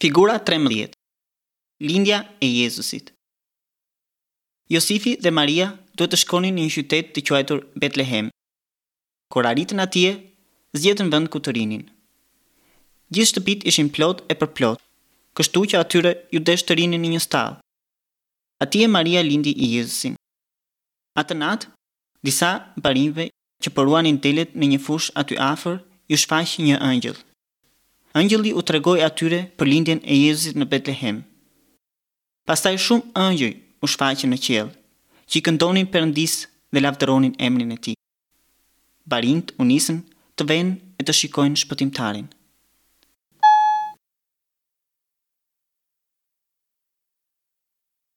Figura 13. Lindja e Jezusit. Josifi dhe Maria duhet të shkonin në një qytet të quajtur Betlehem. Kur arritën atje, s'gjetën vend ku të rrinin. Gjithë shtëpitë ishin plot e përplot, kështu që atyre iu desh të rrinin në një stallë. Atje Maria lindi Jezusin. Atë natë, disa barinjve që po ruanin delet në një fushë aty afër, iu shfaq një ëngjëll. Ëngjëlli u tregoi atyre për lindjen e Jezusit në Betlehem. Pastaj shumë ëngjëj u shfaqën në qiell, që i këndonin Perëndisë dhe lavdëronin emrin e tij. Barinjtë u nisën të venë e të shikojnë Shpëtimtarin.